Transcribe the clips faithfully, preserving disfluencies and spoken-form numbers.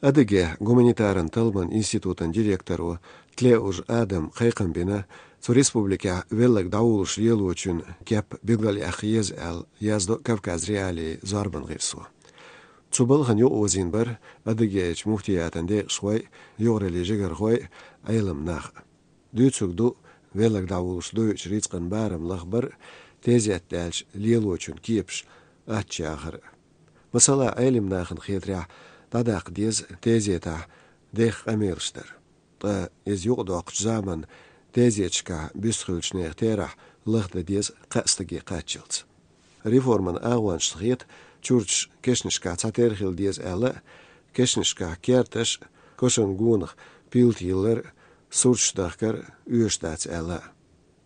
Адыгейн гуманитаран талламан институтан директоро Тлеужа Адама кхайкхам бина, цу республикехь велларг дӀаволлуш лелочун кеп билгалъяккха еза аьлла, яздо Кавказ.Реалии зорбан гӀирсо. Цу балхана юкъаозийна бара Адыгейчу муфтиятан декъашхой, юкъараллин жигархой, Ӏелам нах. Дуьйцург ду велларг дӀаволлуш дойучу рицкъан барам лахбар а, тезет даьлча лелочун кепаш аттачахар а. Масала, Ӏелам нахана хетарехь, дӀадаккха деза тезетехь деха къамелаш дар. Ткъа иза юкъадоккхучу заманан тезеташкахь буьсу хиллачу нехан терахь лахдан деза кхаа стаге кхаччалц. Реформан агӀончашна хета, чурташ кешнашкахь цхьатерра хила деза аьлла а, кешнашкахь керташ а, кошан гонах пилта йиллар а, сурташ дахкар а оьшуш дац аьлла а.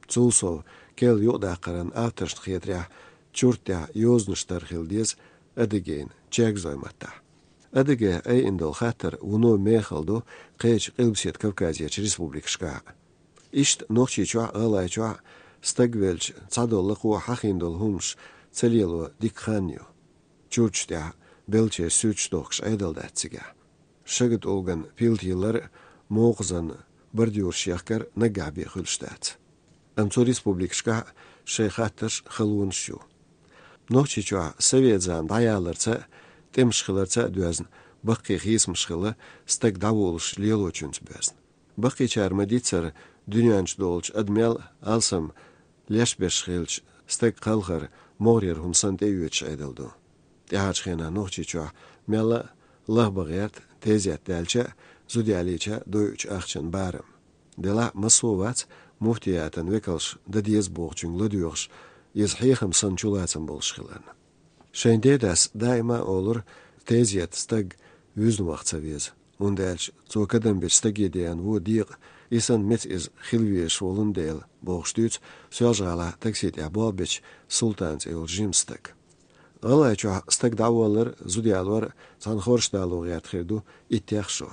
Цул сов, керла юкъадаккхаран авторшна хетарехь, чурт тӀехь йозанаш тара хила деза Адыгейн чергазойн маттахь. Адыгейн айина долу хаттар вуно мехала ду кхечу Къилбаседа Кавказерчу республикашкахь а. Иштта Нохчийчохь а, ГӀалгӀайчохь а стаг велча, цхьадолу лакхо хьахийна долу хӀуманаш ца лело дика хан ю. Чурташ тӀехь беллачеран суьрташ дохкуш Ӏедал дац цигахь. Шагатулган пилта йиллар а, мокхазан бордюраш яхкар а наггахь бен хуьлуш дац. Амма цу республикашкахь а шайн хаттарш а, халонаш а ю. Нохчийчохь совет зама дӀаяларца а, тӀемаш хиларца а доьзна, баккхий хийцамаш хилла стаг дӀаволлуш лелочуьнца боьзна. Баккхийчара ма-дийццара, дуьнен чу долчу адамел а, алсам леш берш хилча, стаг кхалхар могӀарера хӀума санна тӀеоьцуш Ӏедал ду. ТӀаьхьарчу хенахь Нохчийчохь мелла а лахбан гӀерта тезет даьлча а, зуда ялийча а дойучу ахчан барам. Делахь а массо а вац муфтиятан векалш дан деза бохучуьнга ладоьгӀуш, иза хьехам санна чулацам болуш хиларна. Шайн дедас даима а олура, тезета стаг вуьзна ваха ца веза, хӀунда аьлча цо кадам бечу стаге деана вон декъа, и санна меца иза хила везаш волун дела, бохуш дуьйцу Соьлжа-ГӀалахь такси тӀехь болх бечу Султан цӀе йолчу жима стага. ГӀалгӀайчохь стаг дӀаволлар а, зуда ялор а цхьана хорша дало гӀерта хир ду иттех шо.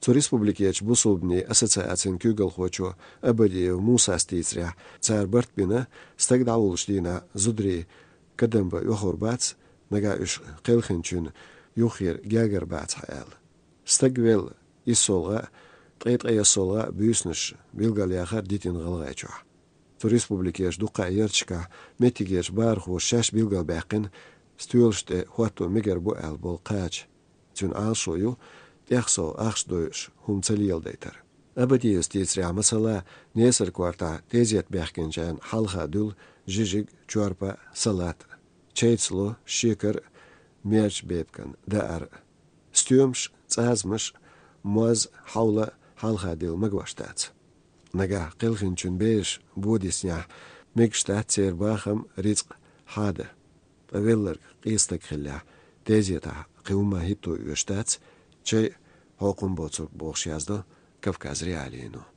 Цу республикерчу бусулбанийн ассоциацин куьйгалхочо Абадиев Мусас дийцарехь, цара барт бина, стаг дӀаволлучу дийнахь зударий кадам бан оьхур бац, нагахь уьш кхелхинчун юххера гергар бацахь аьлла. Стаг велла иссолгӀа а, ткъе ткъайоьссолгӀа а буьйсанаш билгалъяхар дитина ГӀалгӀайчохь. Цу республикерчу дуккха а ярташкахь меттигерчу бахархоша шаьш билгалбаьккхина, стоьлаш тӀе хӀотто мегар бу аьлла болу кхача. Цуьнан Ӏалашо ю тӀех сов ахча дойуш хӀума ца леладайтар. Абадиевс дийцарехь, масала, Несар-Кортахь тезет баьхкинчарна хьалха дуьллу жижиг, чорпа, салат, чай ца ло, шекар, мерча бепиган даар, стоьмаш, цӀазамаш, моз, хьовла хьалха дилла магош дац. Нагахь кхелхинчун бераш бодиснехь, мегаш дац церан бахам, рицкъ хьадан. Ткъа велларг къен стаг хиллехь, тезетахь кхин хӀумма хӀитто оьшуш дац, чай а хьокхун боцург, бохуш яздо Кавказ.Реалиино.